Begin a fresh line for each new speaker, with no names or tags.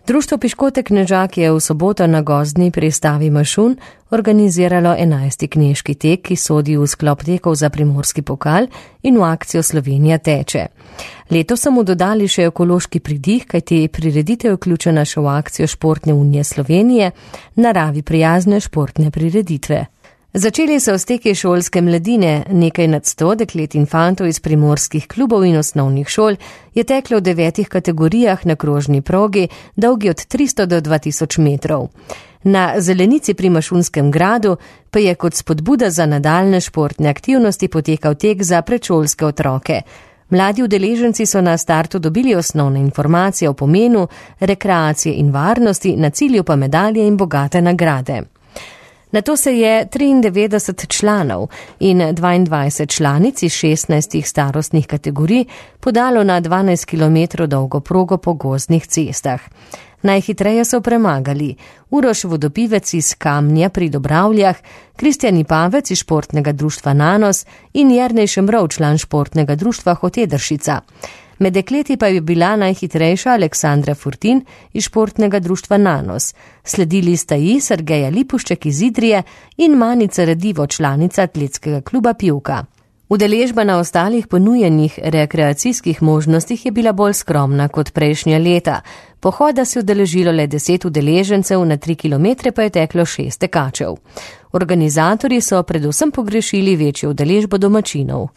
Društvo Piškotek Knežak je v soboto na gozdni pristavi Mašun organiziralo 11. knežki tek, ki sodi v sklop tekov za primorski pokal in v akcijo Slovenija teče. Letos so mu dodali še ekološki pridih, kajti prireditev je vključena še v akcijo Športne unije Slovenije, naravi prijazne športne prireditve. Začeli so s teki šolske mladine, nekaj nad 100 deklet in fantov iz primorskih klubov in osnovnih šol je teklo v 9 kategorijah na krožni progi, dolgi od 300 do 2000 metrov. Na zelenici pri Mašunskem gradu pa je kot spodbuda za nadaljne športne aktivnosti potekal tek za predšolske otroke. Mladi udeleženci so na startu dobili osnovne informacije o pomenu, rekreacije in varnosti, na cilju pa medalje in bogate nagrade. Nato se je 93 članov in 22 članic iz 16 starostnih kategorij podalo na 12 km dolgo progo po gozdnih cestah. Najhitreje so premagali Uroš Vodopivec iz Kamnja pri Dobravljah, Kristjani Pavec iz športnega društva Nanos in Jernej Šemrov, član športnega društva Hotedršica. Med dekleti pa je bila najhitrejša Aleksandra Furtin iz športnega društva Nanos. Sledili sta ji Sergeja Lipušček iz Idrije in Manica Redivo, članica atletskega kluba Pivka. Udeležba na ostalih ponujenih rekreacijskih možnostih je bila bolj skromna kot prejšnja leta. Pohoda se je udeležilo le 10 udeležencev, na 3 km pa je teklo 6 tekačev. Organizatorji so predvsem pogrešili večjo udeležbo domačinov.